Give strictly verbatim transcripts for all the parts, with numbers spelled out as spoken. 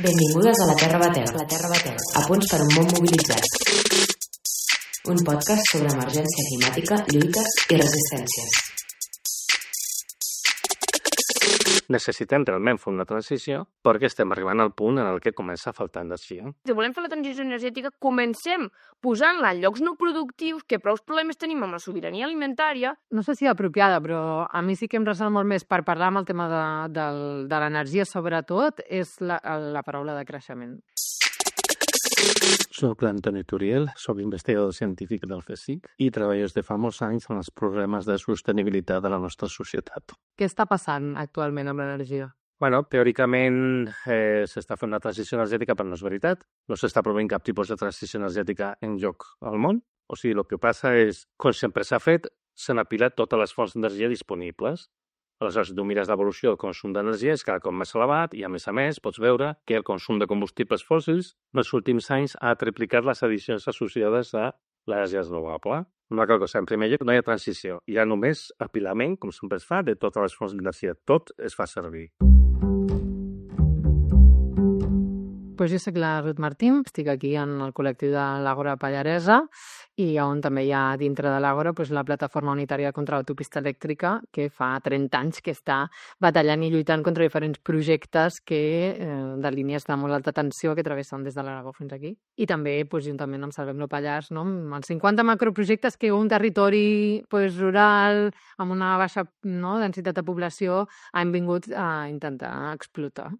Benvingudes a la Terra Bateu, la Terra Bateu, a punts per un món mobilitzat. Un podcast sobre emergència climàtica, lluites i resistències. Necessitem realment fer una transició perquè estem arribant al punt en el que comença a faltar energia. Si volem fer la transició energètica, comencem posant-la en llocs no productius, que prou problemes tenim amb la sobirania alimentària. No sé si apropiada, però a mi sí que em ressona molt més per parlar amb el tema de, de, de l'energia, sobretot, és la, la paraula de creixement. Soc l'Antoni Turiel, soc investigador científic del CSIC i treballo des de fa molts anys en els problemes de sostenibilitat de la nostra societat. Què està passant actualment amb l'energia? Bueno, teòricament eh, s'està fent una transició energètica, però no és veritat. No s'està provint cap tipus de transició energètica en lloc al món. O sigui, el que passa és, com sempre s'ha fet, s'han apilat totes les fonts d'energia disponibles. Aleshores, si tu mires l'evolució del consum d'energia, és cada cop més elevat i, a més a més, pots veure que el consum de combustibles fòssils en els últims anys ha triplicat les addicions associades a l'energia renovable. Una altra cosa, en primer lloc, no hi ha transició. Hi ha només apilament, com sempre es fa, de totes les fonts d'energia. Tot es fa servir. Pues jo soc la Ruth Martín, estic aquí en el col·lectiu de l'Àgora Pallaresa i on també hi ha dintre de l'Àgora pues, la plataforma unitària contra l'autopista elèctrica que fa trenta anys que està batallant i lluitant contra diferents projectes que, eh, de línies de molt alta tensió que travessen des de l'Aragó fins aquí. I també pues, juntament amb Salvem-lo Pallars, no? Amb els cinquanta macroprojectes que un territori pues, rural amb una baixa no, densitat de població han vingut a intentar explotar.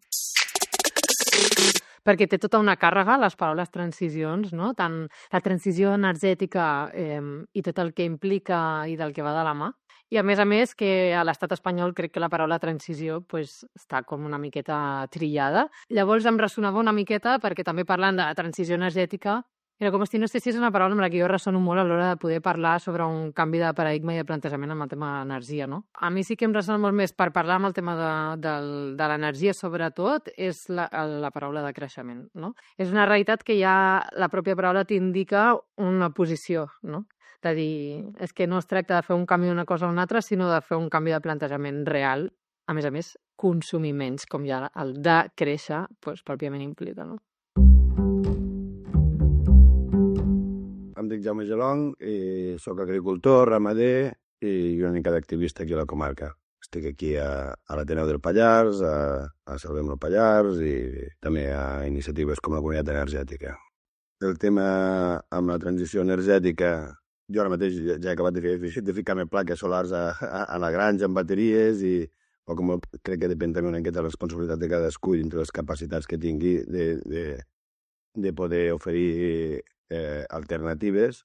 Perquè té tota una càrrega, les paraules transicions, no? Tant la transició energètica eh, i tot el que implica i del que va de la mà. I a més a més que a l'estat espanyol crec que la paraula transició pues, està com una miqueta trillada. Llavors em ressonava una miqueta perquè també parlant de transició energètica era com si no sé si és una paraula amb la que jo ressono molt a l'hora de poder parlar sobre un canvi de paradigma i de plantejament amb el tema de l'energia, no? A mi sí que em ressona molt més per parlar amb el tema de, de, de l'energia, sobretot, és la, la paraula de creixement, no? És una realitat que ja la pròpia paraula t'indica una posició, no? De dir, és que no es tracta de fer un canvi d'una cosa a una altra, sinó de fer un canvi de plantejament real, a més a més, consumir menys, com ja el de créixer, doncs, pròpiament implica, no? Em dic Jaume Gelong, i soc agricultor, ramader i una mica d'activista aquí a la comarca. Estic aquí a, a l'Ateneu del Pallars, a, a Salvem-lo Pallars i també a iniciatives com la Comunitat Energètica. El tema amb la transició energètica, jo ara mateix ja he acabat de, fer, de ficar-me plaques solars a, a, a la granja amb bateries i o com crec que depèn també una miqueta de la responsabilitat de cadascú dintre les capacitats que tingui de, de, de poder oferir Eh, alternatives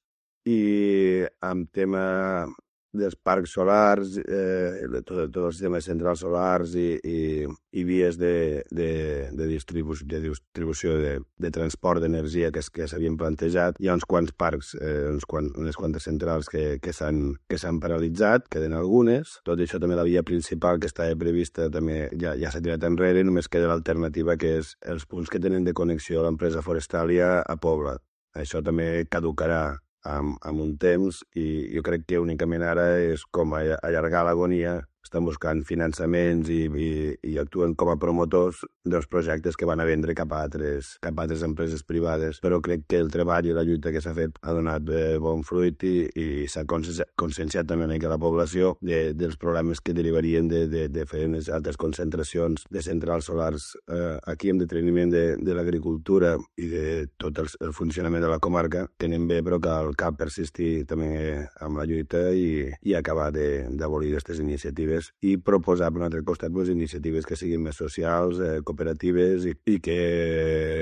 i amb tema dels parcs solars, eh, tot, tot el sistema de centrals solars i, i, i vies de, de, de, distribu de distribució de, de transport d'energia que, que s'havien plantejat. Hi ha uns quants parcs, eh, uns quants, unes quantes centrals que, que s'han paralitzat, queden algunes. Tot això també la via principal que estava prevista també ja, ja s'ha tirat enrere, només queda l'alternativa que és els punts que tenen de connexió a l'empresa Forestalia a Pobla. Això també caducarà amb, amb un temps i jo crec que únicament ara és com allargar l'agonia. Estan buscant finançaments i, i, i actuen com a promotors dels projectes que van a vendre cap a altres, cap a altres empreses privades. Però crec que el treball i la lluita que s'ha fet ha donat eh, bon fruit i, i s'ha conscienciat també una mica la població de, dels problemes que derivarien de, de, de fer unes altres concentracions de centrals solars eh, aquí amb deteniment de, de l'agricultura i de tot el, el funcionament de la comarca. Tenen bé, però cal, cal persistir també amb la lluita i, i acabar d'abolir aquestes iniciatives i proposar per un altre costat pues, iniciatives que siguin més socials, eh, cooperatives i, i que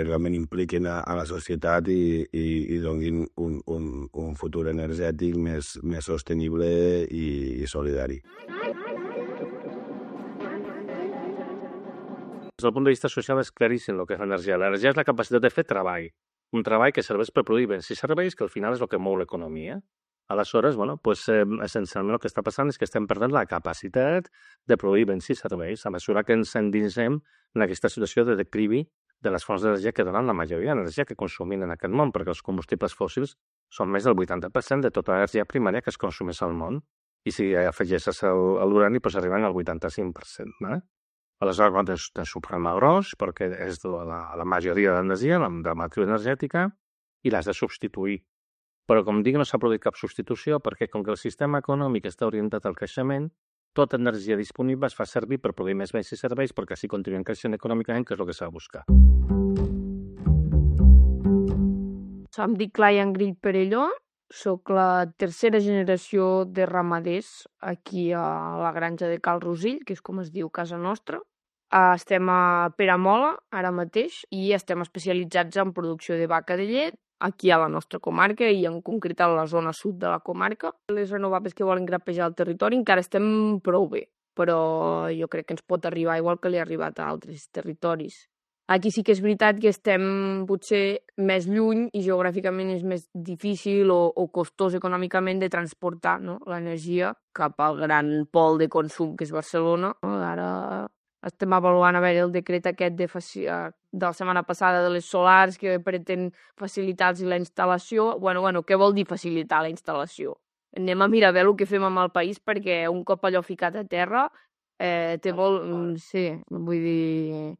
realment impliquin a, a la societat i, i, i donin un, un, un futur energètic més, més sostenible i, i solidari. Des del punt de vista social és claríssim el que és l'energia. L'energia és la capacitat de fer treball. Un treball que serveix per produir béns i serveis que al final és el que mou l'economia. Aleshores, bueno, pues, eh, essencialment el que està passant és que estem perdent la capacitat de produir béns i serveis a mesura que ens endinsem en aquesta situació de declivi de les fonts d'energia que donen la majoria d'energia que consumim en aquest món, perquè els combustibles fòssils són més del vuitanta per cent de tota l'energia primària que es consumeix al món. I si afegeixes l'urani, doncs arriben al vuitanta-cinc per cent. Eh? Aleshores, quan tens, tens un problema gros, perquè és de la, la majoria de l'energia, la, de la matriu energètica, i l'has de substituir. Però, com dic, no s'ha produït cap substitució, perquè com que el sistema econòmic està orientat al creixement, tota energia disponible es fa servir per produir més béns i serveis perquè així continuem creixent econòmicament, que és el que s'ha de buscar. Em dic Clayan Grill Perelló, soc la tercera generació de ramaders aquí a la granja de Cal Rosell, que és com es diu casa nostra. Estem a Peramola ara mateix i estem especialitzats en producció de vaca de llet aquí a la nostra comarca i en concret a la zona sud de la comarca. Les renovables que volen grapejar el territori encara estem prou bé, però jo crec que ens pot arribar igual que li ha arribat a altres territoris. Aquí sí que és veritat que estem potser més lluny i geogràficament és més difícil o, o costós econòmicament de transportar, no?, l'energia cap al gran pol de consum que és Barcelona. Ara estem avaluant a veure el decret aquest de, de la setmana passada de les solars que pretén facilitar-los la instal·lació. Bueno, bueno, què vol dir facilitar la instal·lació? Anem a mirar bé el que fem amb el país perquè un cop allò ficat a terra eh, té molt... Sí, vull dir...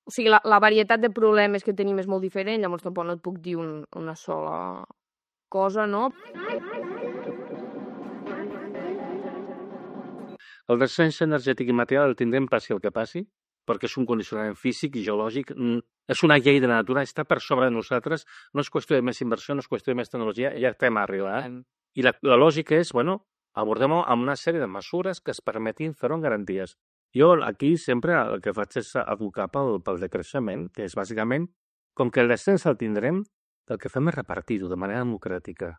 O sigui, la, la varietat de problemes que tenim és molt diferent, llavors tampoc no et puc dir un, una sola cosa, no? El descens energètic i material el tindrem passi el que passi, perquè és un condicionament físic i geològic, és una llei de la natura, està per sobre de nosaltres, no és qüestió de més inversió, no és qüestió de més tecnologia, ja estem arribant. I la, la lògica és, bueno, abordem-ho amb una sèrie de mesures que es permetin fer-ho amb garanties. Jo aquí sempre el que faig és advocar pel, pel decreixement, que és bàsicament, com que el descens el tindrem, el que fem és repartir-ho de manera democràtica.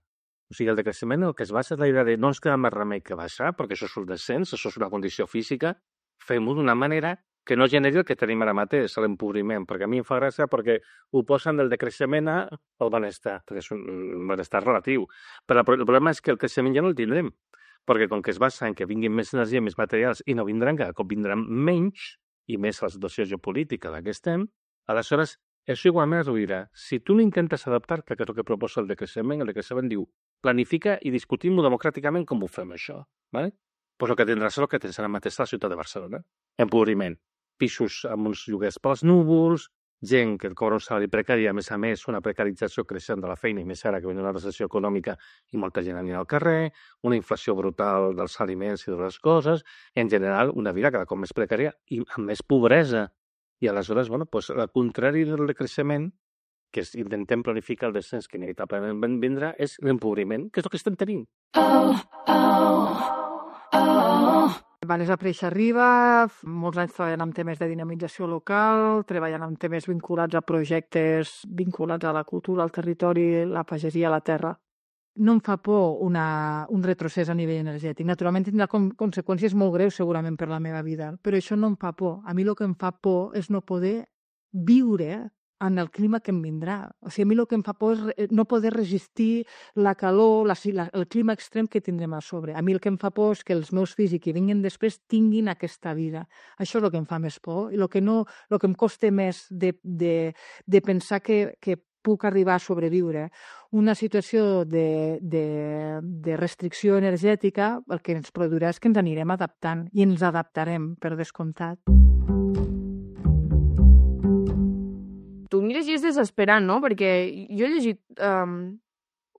O sigui, el decreixement el que es basa és la idea de no ens queda més remei que baixar, perquè això és un descens, això és una condició física, fem-ho d'una manera que no generi el que tenim ara mateix, l'empobriment, perquè a mi em fa gràcia perquè ho posen del decreixement al benestar, perquè és un benestar relatiu. Però el problema és que el creixement ja no el tindrem, perquè com que es basa en que vinguin més energia, més materials, i no vindran, cada cop vindran menys, i més la situació geopolítica en la que estem, aleshores, això igualment es reduirà. Si tu no intentes adaptar-te, que és el que proposa el decreixement, el decreixement diu, planifica i discutim-ho democràticament com ho fem, això. ¿Vale? Pues el que tindràs és el que tens ara mateix a la ciutat de Barcelona. Empobriment. Pisos amb uns lloguers pels núvols, gent que cobra un salari precari, a més a més, una precarització creixent de la feina, i més ara que ve una recessió econòmica i molta gent anirà al carrer, una inflació brutal dels aliments i de les coses, en general, una vida cada cop més precària i amb més pobresa. I aleshores, bueno, pues, al contrari del decreixement, que és, intentem planificar el descens que inevitablement vindrà, és l'empobriment, que és el que estem tenint. Oh, oh, oh. Vanessa Preixa Riba, molts anys treballant amb temes de dinamització local, treballant amb temes vinculats a projectes vinculats a la cultura, al territori, la pagesia, la terra. No em fa por una, un retrocés a nivell energètic. Naturalment tindrà com, conseqüències molt greus segurament per la meva vida, però això no em fa por. A mi el que em fa por és no poder viure en el clima que em vindrà. O sigui, a mi el que em fa por és no poder resistir la calor, la, la, el clima extrem que tindrem a sobre. A mi el que em fa por és que els meus fills i que vinguin després tinguin aquesta vida. Això és el que em fa més por. I el que, no, el que em costa més de, de, de pensar que, que puc arribar a sobreviure una situació de, de, de restricció energètica, el que ens produirà és que ens anirem adaptant i ens adaptarem, per descomptat. Tu mires i és desesperant, no? Perquè jo he llegit um,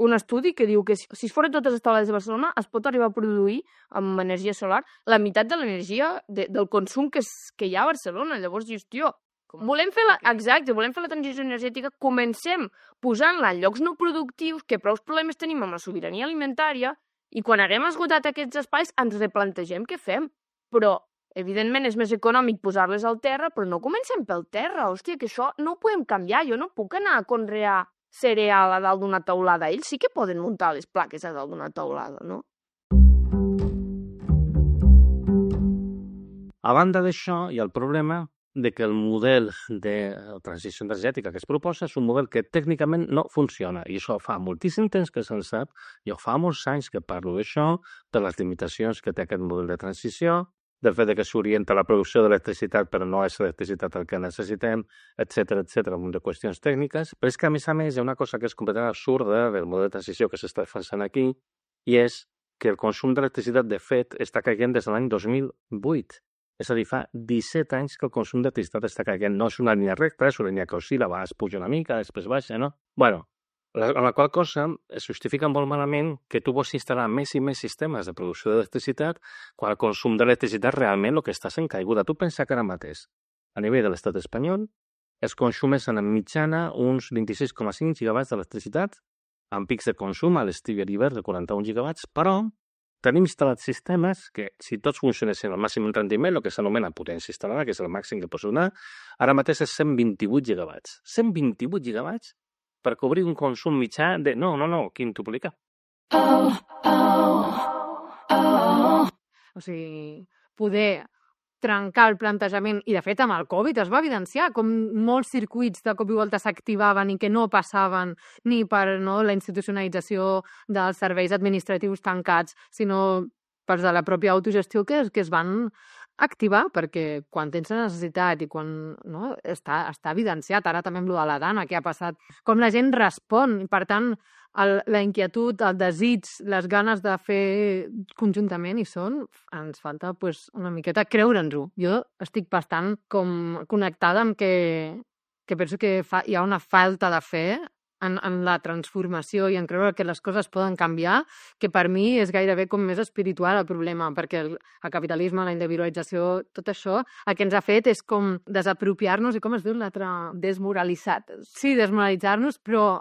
un estudi que diu que si, si es foren totes les teulades de Barcelona es pot arribar a produir amb energia solar la meitat de l'energia de, del consum que, es, que hi ha a Barcelona. Llavors dius, tio, volem fer la, exacte, volem fer la transició energètica, comencem posant-la en llocs no productius, que prou problemes tenim amb la sobirania alimentària, i quan haguem esgotat aquests espais ens replantegem què fem. Però evidentment és més econòmic posar-les al terra, però no comencem pel terra. Hòstia, que això no ho podem canviar. Jo no puc anar a conrear cereal a dalt d'una teulada. Ells sí que poden muntar les plaques a dalt d'una teulada, no? A banda d'això, hi ha el problema de que el model de transició energètica que es proposa és un model que tècnicament no funciona. I això fa moltíssim temps que se'n sap. Jo fa molts anys que parlo d'això, de les limitacions que té aquest model de transició, del fet que s'orienta a la producció d'electricitat però no és l'electricitat el que necessitem, etcètera, etcètera, un munt de qüestions tècniques. Però és que, a més a més, hi ha una cosa que és completament absurda del model de transició que s'està defensant aquí, i és que el consum d'electricitat, de fet, està caient des de l'any dos mil vuit. És a dir, fa disset anys que el consum d'electricitat està caient. No és una línia recta, és una línia que oscil·la, a vegades puja una mica, després baixa, no? Bueno, amb la qual cosa es justifica molt malament que tu vols instal·lar més i més sistemes de producció d'electricitat quan el consum d'electricitat realment el que està sent caiguda. Tu pensa que ara mateix, a nivell de l'estat espanyol, es consumeixen en mitjana uns vint-i-sis coma cinc gigawatts d'electricitat, amb pics de consum a l'estiu i a l'hivern de quaranta-un gigawatts, però tenim instal·lats sistemes que, si tots funcionessin al màxim rendiment, el que s'anomena potència instal·lada, que és el màxim que pots donar, ara mateix és cent vint-i-vuit gigawatts. cent vint-i-vuit gigawatts per cobrir un consum mitjà de... No, no, no, quintuplicar. Oh, oh, oh. O sigui, poder trencar el plantejament, i de fet amb el Covid es va evidenciar com molts circuits de cop i volta s'activaven i que no passaven ni per no, la institucionalització dels serveis administratius tancats, sinó per de la pròpia autogestió que, que es van activar, perquè quan tens la necessitat i quan no, està, està evidenciat, ara també amb lo de la Dana, què ha passat, com la gent respon, i per tant el, la inquietud, el desig, les ganes de fer conjuntament hi són, ens falta pues, una miqueta creure'ns-ho. Jo estic bastant com connectada amb que, que penso que fa, hi ha una falta de fe en, en la transformació i en creure que les coses poden canviar, que per mi és gairebé com més espiritual el problema, perquè el, el capitalisme, la individualització, tot això, el que ens ha fet és com desapropiar-nos, i com es diu l'altre? Desmoralitzat. Sí, desmoralitzar-nos, però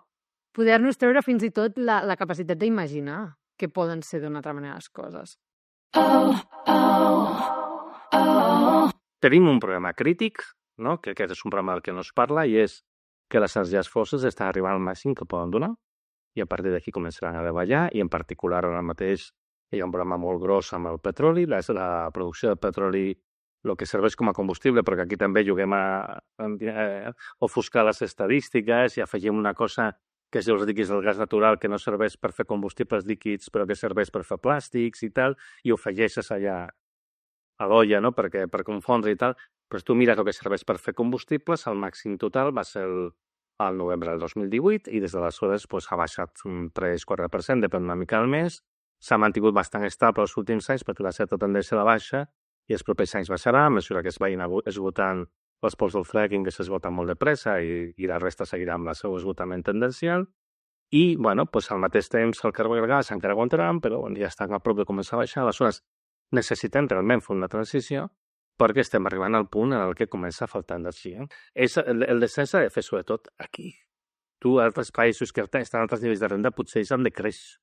poder-nos treure fins i tot la, la capacitat d'imaginar que poden ser d'una altra manera les coses. Oh, oh, oh. Tenim un problema crític, no? Que aquest és un problema del que no es parla, i és que les energies fòssils estan arribant al màxim que poden donar, i a partir d'aquí començaran a davallar, i en particular ara mateix hi ha un problema molt gros amb el petroli, la, la producció de petroli, el que serveix com a combustible, perquè aquí també juguem a, a, a ofuscar les estadístiques i afegim una cosa que es diu els líquids del gas natural, que no serveix per fer combustibles líquids, però que serveix per fer plàstics i tal, i ho afegeixes allà a l'olla, no?, perquè, per confondre i tal, però tu mires el que serveix per fer combustibles, el màxim total va ser el, el novembre del dos mil divuit, i des d'aleshores pues, ha baixat un tres quatre per cent, depèn una mica al mes, s'ha mantingut bastant estable els últims anys, perquè la certa tendència a la baixa, i els propers anys baixarà, a mesura que es vagin esgotant els pols del fracking, que s'esgoten molt de pressa, i, i la resta seguirà amb el seu esgotament tendencial. I, bueno, pues, al mateix temps el carbó i el gas encara aguantaran, però bueno, ja estan a prop de començar a baixar. Aleshores, necessitem realment fer una transició perquè estem arribant al punt en el que comença a faltar energia. És, el, el descens s'ha de fer sobretot aquí. Tu, altres països que estan a altres nivells de renda, potser ells han de créixer.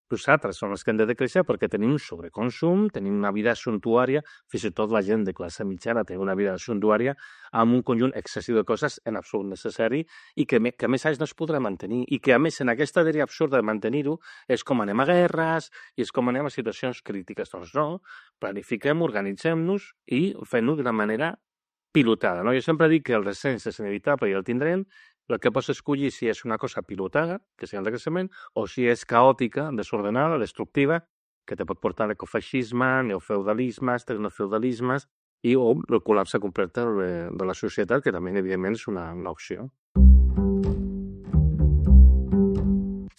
Nosaltres som els que hem de decréixer perquè tenim un sobreconsum, tenim una vida suntuària, fins i tot la gent de classe mitjana té una vida suntuària amb un conjunt excessiu de coses en absolut necessari i que, que a més anys no es podrà mantenir, i que a més en aquesta dèria absurda de mantenir-ho és com anem a guerres i és com anem a situacions crítiques. Doncs no, planifiquem, organitzem-nos i fem-ho d'una manera pilotada. No? Jo sempre dic que el descens és inevitable i el tindrem. El que pots escollir si és una cosa pilotada, que sigui el de creixement, o si és caòtica, desordenada, destructiva, que te pot portar a l'ecofeixisme, neofeudalismes, tecnofeudalismes, i o el col·lapse complet de, de la societat, que també, evidentment, és una, una opció.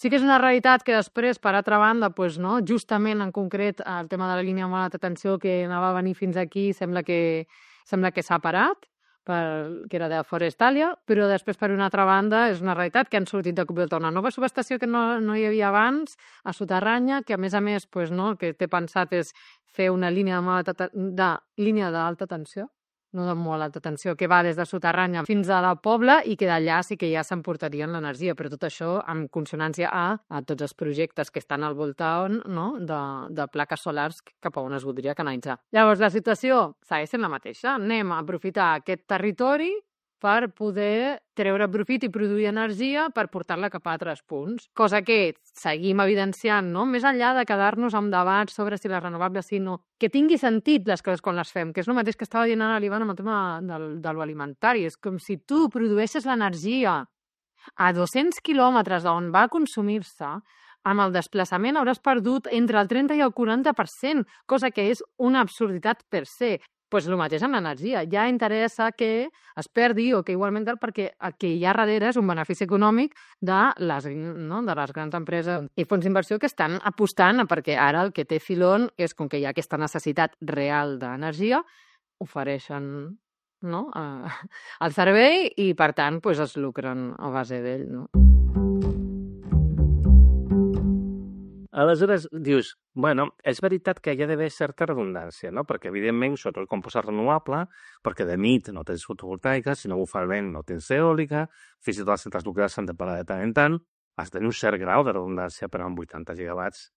Sí que és una realitat que després, per altra banda, pues, no, justament en concret el tema de la línia de alta tensió que anava a venir fins aquí sembla que, sembla que s'ha parat, per, que era de Forestalia, però després, per una altra banda, és una realitat que han sortit de cop i volta una nova subestació que no, no hi havia abans, a soterranya, que a més a més, pues, no, el que té pensat és fer una línia de, de línia d'alta tensió, no de molt alta tensió, que va des de soterranya fins a la Pobla i que d'allà sí que ja s'emportarien l'energia, però tot això amb consonància a, a tots els projectes que estan al voltant, no?, de, de plaques solars cap a on es voldria canalitzar. Llavors, la situació segueix sent la mateixa. Anem a aprofitar aquest territori per poder treure profit i produir energia per portar-la cap a altres punts. Cosa que seguim evidenciant, no? Més enllà de quedar-nos amb debats sobre si les renovables sí o no, que tingui sentit les coses quan les fem, que és el mateix que estava dient ara l'Ivan amb el tema del, de l'alimentari. És com si tu produeixes l'energia a dos-cents quilòmetres d'on va consumir-se, amb el desplaçament hauràs perdut entre el trenta i el quaranta per cent, cosa que és una absurditat per se. Pues el mateix amb l'energia. Ja interessa que es perdi o que igualment tal, perquè el que hi ha darrere és un benefici econòmic de les, no, de les grans empreses i fons d'inversió que estan apostant, perquè ara el que té filón és, com que hi ha aquesta necessitat real d'energia, ofereixen, no? el servei i, per tant, pues, es lucren a base d'ell. No? Aleshores, dius, bueno, és veritat que hi ha d'haver certa redundància, no? Perquè, evidentment, sobretot com posar renovable, perquè de nit no tens fotovoltaica, si no bufa el vent no tens eòlica, fins i tot les centrals nuclears s'han de parar de tant en tant, has de tenir un cert grau de redundància, però amb vuitanta gigawatts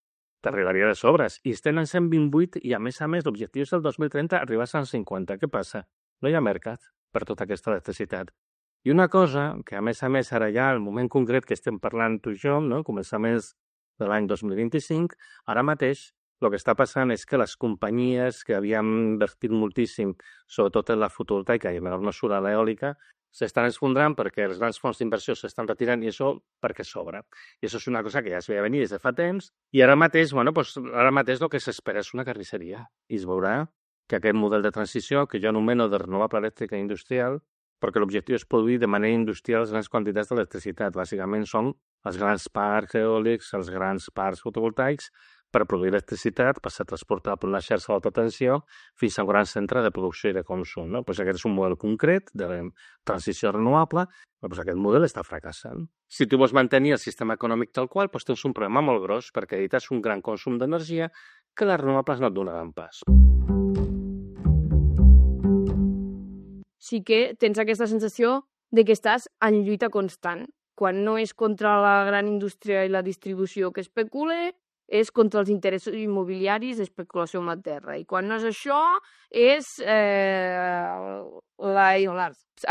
t'arribaria de sobres. I estem en cent vint-vuit i, a més a més, l'objectiu és el dos mil trenta arribar a cent cinquanta. Què passa? No hi ha mercat per tota aquesta electricitat. I una cosa que, a més a més, ara ja, al moment concret que estem parlant tu i jo, no? Començaments de l'any dos mil vint-i-cinc, ara mateix el que està passant és que les companyies que havien invertit moltíssim, sobretot en la fotovoltaica i en menor mesura l'eòlica, s'estan esfondrant perquè els grans fons d'inversió s'estan retirant i això perquè sobra. I això és una cosa que ja es veia venir des de fa temps i ara mateix, bueno, doncs, ara mateix el que s'espera és una carnisseria. I es veurà que aquest model de transició, que jo anomeno de renovable elèctrica industrial, perquè l'objectiu és produir de manera industrial les grans quantitats d'electricitat. Bàsicament són els grans parcs eòlics, els grans parcs fotovoltaics, per produir electricitat, per ser transportada per una xarxa d'alta tensió fins a un gran centre de producció i de consum. No? Pues aquest és un model concret de transició renovable, però pues aquest model està fracassant. Si tu vols mantenir el sistema econòmic tal qual, pues tens un problema molt gros, perquè edites un gran consum d'energia que les renovables no et donaran pas. Sí que tens aquesta sensació de que estàs en lluita constant. Quan no és contra la gran indústria i la distribució que especula, és contra els interessos immobiliaris d'especulació amb la terra. I quan no és això, és eh, la,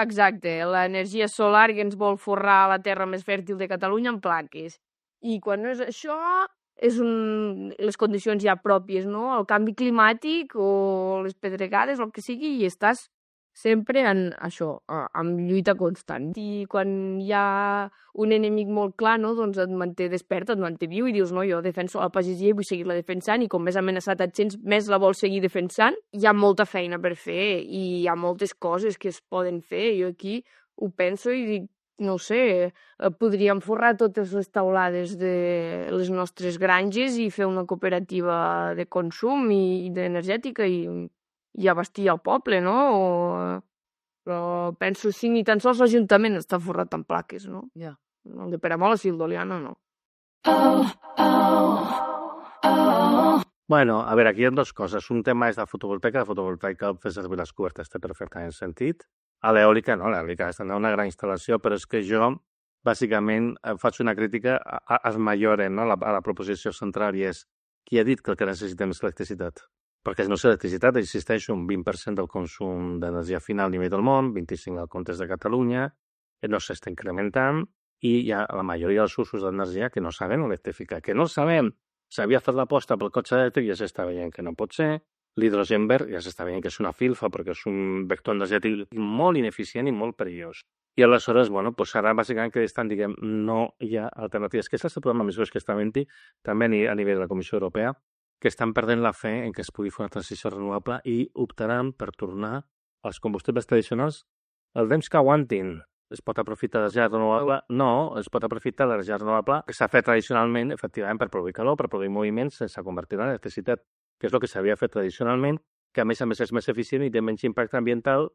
exacte, l'energia solar que ens vol forrar la terra més fèrtil de Catalunya en plaques. I quan no és això, és un, les condicions ja pròpies, no? El canvi climàtic o les pedregades, el que sigui, i estàs sempre en això, en lluita constant. I quan hi ha un enemic molt clar, no, doncs et manté despert, et manté viu i dius, no, jo defenso la pagesia i vull seguir-la defensant i com més amenaçat et sents, més la vols seguir defensant. Hi ha molta feina per fer i hi ha moltes coses que es poden fer. Jo aquí ho penso i dic, no ho sé, podríem forrar totes les taulades de les nostres granges i fer una cooperativa de consum i d'energètica i i abastir el poble, no? O... Però penso, sí, ni tan sols l'Ajuntament està forrat en plaques, no? Ja. El de Peramola i el d'Oliana, no. Oh, oh, oh. Bueno, a veure, aquí hi ha dues coses. Un tema és la fotovoltaica. La fotovoltaica fer servir les cobertes té perfectament sentit. A l'eòlica, no, l'eòlica és una gran instal·lació, però és que jo, bàsicament, faig una crítica a, a Mayoren, no? a, la, a la proposició central, i és qui ha dit que el que necessitem és electricitat? Perquè no és electricitat, existeix un vint per cent del consum d'energia final a nivell del món, vint-i-cinc al comptes de Catalunya, no s'està incrementant i hi ha la majoria dels usos d'energia que no sabem electrificar, que no sabem. S'havia fet l'aposta pel cotxe elèctric i ja s'està veient que no pot ser. L'hidrogen verd ja s'està veient que és una filfa perquè és un vector energètic molt ineficient i molt perillós. I aleshores, bueno, doncs ara bàsicament que estan, diguem, no hi ha alternatives. Que és el problema més gros que està havent-hi també a nivell de la Comissió Europea, que estan perdent la fe en que es pugui fer una transició renovable i optaran per tornar als combustibles tradicionals el temps que aguantin. Es pot aprofitar l'energia renovable? No, es pot aprofitar l'energia renovable que s'ha fet tradicionalment, efectivament, per produir calor, per produir moviments sense convertir en electricitat, que és el que s'havia fet tradicionalment, que a més a més és més eficient i té menys impacte ambiental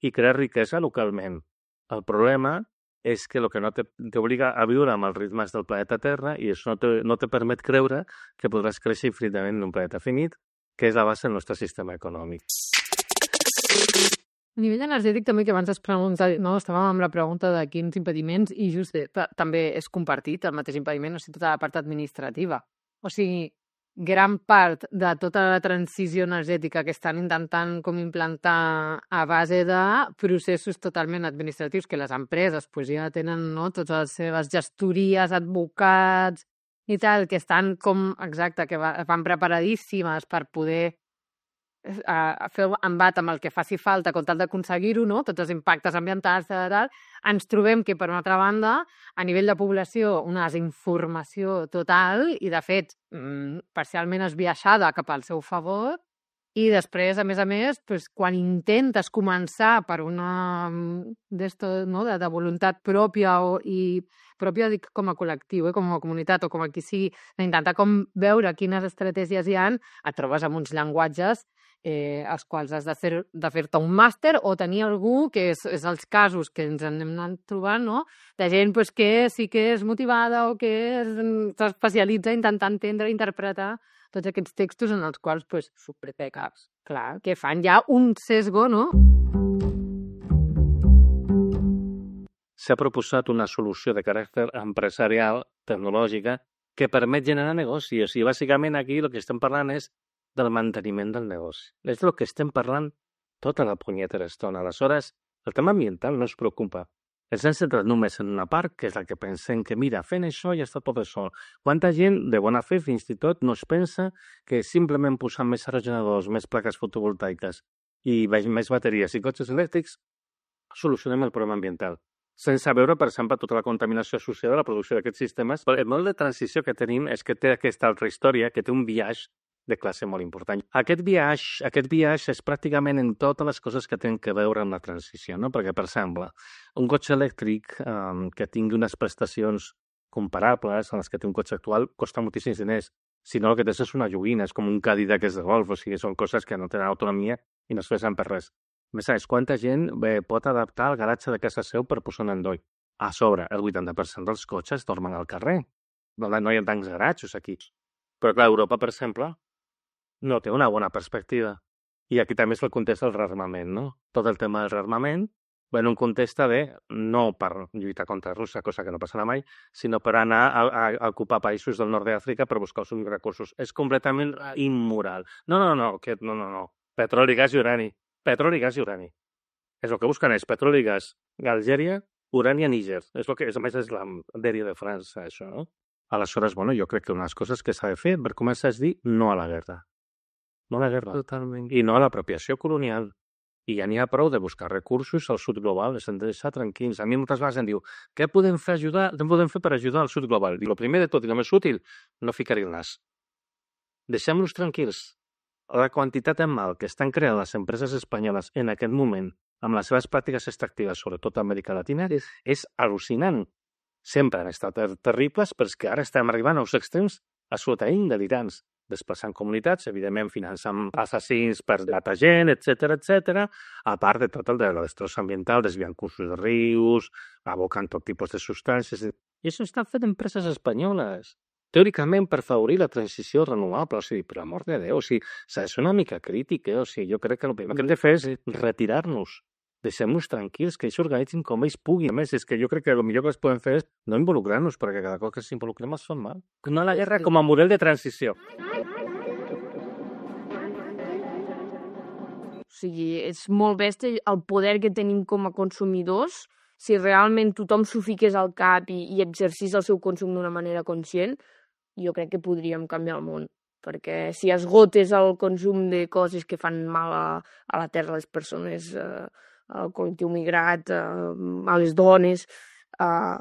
i crea riquesa localment. El problema és que el que no t'obliga a viure amb els ritmes del planeta Terra i això no te, no te permet creure que podràs créixer infinitament en un planeta finit, que és la base del nostre sistema econòmic. A nivell energètic també, que abans es pregunta, no, estàvem amb la pregunta de quins impediments i just eh, també és compartit el mateix impediment, o sigui, tota la part administrativa. O sigui, gran part de tota la transició energètica que estan intentant com implantar a base de processos totalment administratius que les empreses pues, ja tenen, no, totes les seves gestories, advocats i tal, que estan com, exacte, que van preparadíssimes per poder a fer embat amb el que faci falta con tal d'aconseguir-ho, no? Tots els impactes ambientals, tal, tal. Ens trobem que, per una altra banda, a nivell de població, una desinformació total i, de fet, parcialment esbiaixada cap al seu favor I després, a més a més, pues, quan intentes començar per una d'esto, no, de, de voluntat pròpia o, i pròpia dic com a col·lectiu, eh, com a comunitat o com a qui sigui, d'intentar com veure quines estratègies hi ha, et trobes amb uns llenguatges eh, als quals has de, fer, de fer-te un màster o tenir algú, que és, és els casos que ens anem anant trobant, no? De gent pues, que sí que és motivada o que s'especialitza a intentar entendre, interpretar tots aquests textos en els quals, pues, superpecats, clar, que fan ja un sesgo, no? S'ha proposat una solució de caràcter empresarial, tecnològica, que permet generar negoci. O sigui, bàsicament aquí el que estem parlant és del manteniment del negoci. És el que estem parlant tota la punyetera estona. Aleshores, el tema ambiental no es preocupa. Ens hem centrat només en una part, que és la que pensem que, mira, fent això ja està tot sol. Quanta gent, de bona fe, fins i tot, no es pensa que simplement posant més aerogeneradors, més plaques fotovoltaiques i més bateries i cotxes elèctrics solucionem el problema ambiental. Sense veure, per exemple, tota la contaminació associada a la producció d'aquests sistemes. El model de transició que tenim és que té aquesta altra història, que té un biaix de classe molt important. Aquest biaix, aquest biaix és pràcticament en totes les coses que tenen que veure amb la transició, no? Perquè, per exemple, un cotxe elèctric um, que tingui unes prestacions comparables a les que té un cotxe actual costa moltíssims diners. Si no, el que tens és una joguina, és com un Cadillac que és de golf, o sigui, són coses que no tenen autonomia i no es fessen per res. A més, saps quanta gent bé, pot adaptar el garatge de casa seu per posar un endoll? A sobre, el vuitanta per cent dels cotxes dormen al carrer. No hi ha tants garatges aquí. Però, clar, Europa, per exemple, no té una bona perspectiva. I aquí també és el context del rearmament, no? Tot el tema del rearmament va en un context de, no per lluitar contra Rússia, cosa que no passarà mai, sinó per anar a, a, a ocupar països del nord d'Àfrica per buscar els seus recursos. És completament immoral. No, no, no, que, no, no, no. Petroli, gas i urani. Petroli, gas i urani. És el que busquen és petroli, gas, Algèria, urani a Níger. És el que, és, a més, és la dèria de França, això, no? Aleshores, bueno, jo crec que una de les coses que s'ha de fer per començar és dir no a la guerra. No a la guerra. Totalment. I no a l'apropiació colonial. I ja n'hi ha prou de buscar recursos al sud global, les hem de deixar tranquils. A mi moltes vegades em diu, què podem fer, ajudar? Què podem fer per ajudar al sud global? I el primer de tot, i el més útil, no ficar-hi el nas. Deixem-los tranquils. La quantitat de mal que estan creant les empreses espanyoles en aquest moment amb les seves pràctiques extractives, sobretot a Amèrica Latina, és, és al·lucinant. Sempre han estat ter terribles, però és que ara estem arribant als extrems absolutament delirants, desplaçant comunitats, evidentment finançant assassins per data gent, etcètera, etcètera, a part de tot el de la destrossa ambiental, desviant cursos de rius, abocant tot tipus de substàncies. I això està fet empreses espanyoles. Teòricament, per favorir la transició renovable, o sigui, per l'amor de Déu, o sigui, s'ha de ser una mica crític, eh? O sigui, jo crec que el primer que hem de fer és retirar-nos. Deixem-nos tranquils, que ells s'organitzin com ells puguin. A més, és que jo crec que el millor que es poden fer és no involucrar-nos, perquè cada cop que s'involucrem es fan mal. No a la guerra com a model de transició. O sigui, és molt bèstia el poder que tenim com a consumidors. Si realment tothom s'ho fiqués al cap i, i exercís el seu consum d'una manera conscient, jo crec que podríem canviar el món. Perquè si esgotes el consum de coses que fan mal a, a la terra, a les persones, eh, al col·lectiu migrat, eh, a les dones, eh,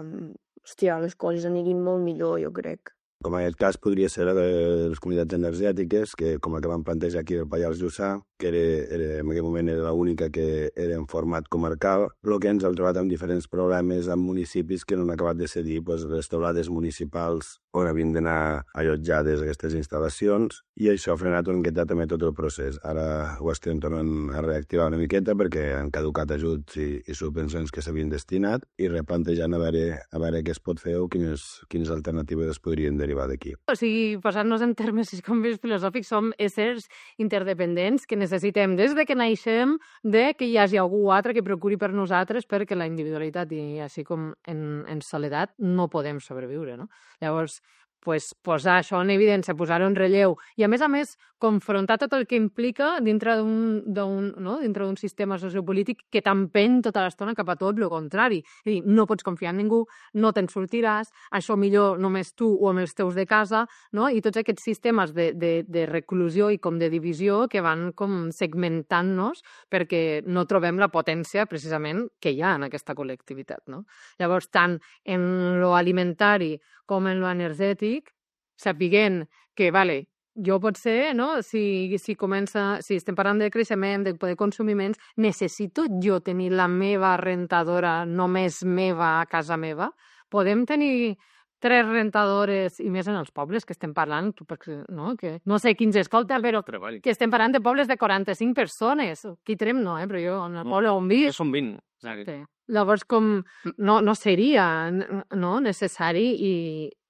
hòstia, les coses anirien molt millor, jo crec. Com en aquest cas podria ser la de les comunitats energètiques, que com la que vam plantejar aquí al Pallars Jussà, que era, era, en aquell moment era l'única que era en format comarcal, però que ens hem trobat amb diferents problemes amb municipis que no han acabat de cedir pues, les teulades municipals on havien d'anar allotjades aquestes instal·lacions, i això ha frenat una miqueta també tot el procés. Ara ho estem tornant a reactivar una miqueta perquè han caducat ajuts i, i subvencions que s'havien destinat i replantejant a veure, a veure què es pot fer o quines, quines alternatives es podrien derivar d'aquí. O sigui, posant-nos en termes com més filosòfics, som éssers interdependents que necessitem des de que naixem de que hi hagi algú altre que procuri per nosaltres, perquè la individualitat i així com en, en soledat no podem sobreviure, no? Llavors, pues, posar això en evidència, posar-ho en relleu i, a més a més, confrontar tot el que implica dintre d'un no? dintre d'un sistema sociopolític que t'empeny tota l'estona cap a tot el contrari. És dir, no pots confiar en ningú, no te'n sortiràs, això millor només tu o amb els teus de casa, no? I tots aquests sistemes de, de, de reclusió i com de divisió que van com segmentant-nos perquè no trobem la potència precisament que hi ha en aquesta col·lectivitat, no? Llavors, tant en lo alimentari com en lo energètic, sapiguent que, vale, jo potser, no? si, si comença, si estem parlant de creixement, de poder consumir menys, necessito jo tenir la meva rentadora només meva a casa meva? Podem tenir tres rentadores, i més en els pobles que estem parlant, perquè, no, que no sé quins escolten, però Treball. que estem parlant de pobles de quaranta-cinc persones. Qui trem no, eh? Però jo, en el poble on visc... Són vint. Sí. Llavors, com no, no seria no, necessari i,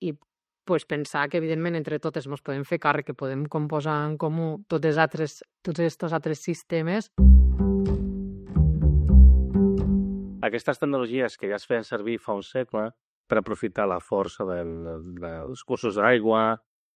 i pues, pensar que, evidentment, entre totes ens podem fer càrrec, que podem composar en comú tots altres, tots aquests altres sistemes. Aquestes tecnologies que ja es feien servir fa un segle per aprofitar la força del, dels cursos d'aigua,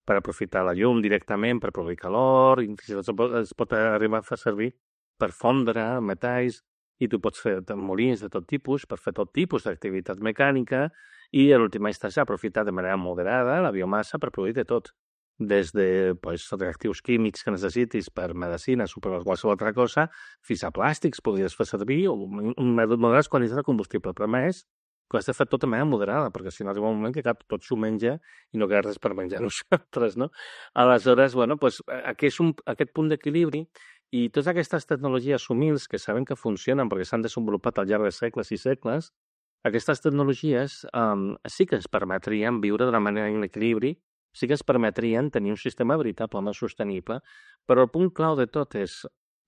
per aprofitar la llum directament, per produir calor, i fins i tot es pot arribar a fer servir per fondre metalls, i tu pots fer molins de tot tipus, per fer tot tipus d'activitat mecànica, i a l'última instància aprofitar de manera moderada la biomassa per produir de tot. Des de pues, reactius químics que necessitis per medicines o per qualsevol altra cosa, fins a plàstics podries fer servir, o un moderat quantitat de combustible. Però més, que has de fer tot de manera moderada, perquè si no arriba un moment que cap tot s'ho menja i no queda res per menjar nosaltres, no? Aleshores, bueno, pues, aquí és un, aquest punt d'equilibri, i totes aquestes tecnologies humils que sabem que funcionen perquè s'han desenvolupat al llarg de segles i segles, aquestes tecnologies um, sí que ens permetrien viure d'una manera en equilibri, sí que ens permetrien tenir un sistema veritablement sostenible, però el punt clau de tot és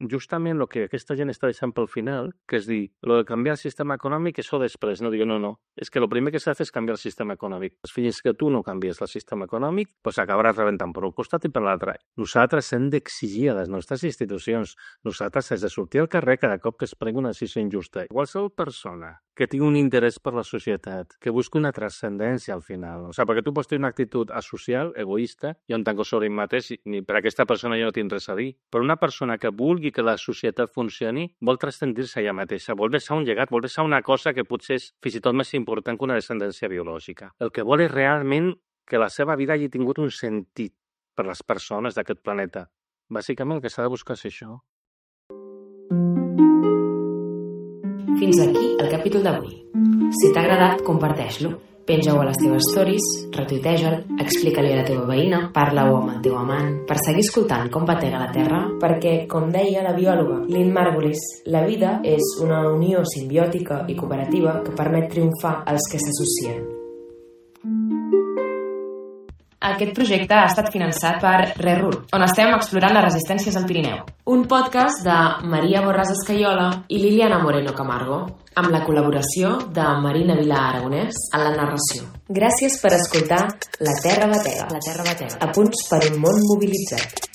justament el que aquesta gent està deixant pel final, que és dir, el de canviar el sistema econòmic, això després. No diu, no, no. És que el primer que s'ha de fer és canviar el sistema econòmic. Fins que tu no canvies el sistema econòmic, doncs acabaràs rebentant per un costat i per l'altre. Nosaltres hem d'exigir a les nostres institucions, nosaltres hem de sortir al carrer cada cop que es pregui una decisió injusta. Qualsevol persona que tingui un interès per la societat, que busqui una transcendència al final. O sigui, perquè tu pots tenir una actitud asocial, egoista, jo en tanco sobre ell mateix, ni per aquesta persona jo no tinc res a dir. Però una persona que vulgui que la societat funcioni vol transcendir-se ella mateixa, vol deixar un llegat, vol deixar una cosa que potser és fins i tot més important que una descendència biològica. El que vol és realment que la seva vida hagi tingut un sentit per les persones d'aquest planeta. Bàsicament el que s'ha de buscar és això. Fins aquí el capítol d'avui. Si t'ha agradat, comparteix-lo. Penja-ho a les teves stories, retuiteja'l, explica-li a la teva veïna, parla-ho amb el teu amant, per seguir escoltant com batega la Terra, perquè, com deia la biòloga Lynn Margulis, la vida és una unió simbiòtica i cooperativa que permet triomfar als que s'associen. Aquest projecte ha estat finançat per ReRur, on estem explorant les resistències al Pirineu. Un podcast de Maria Borràs Escaiola i Liliana Moreno Camargo, amb la col·laboració de Marina Vilà Aragonès en la narració. Gràcies per escoltar La Terra Batega, La Terra Batega, a punts per un món mobilitzat.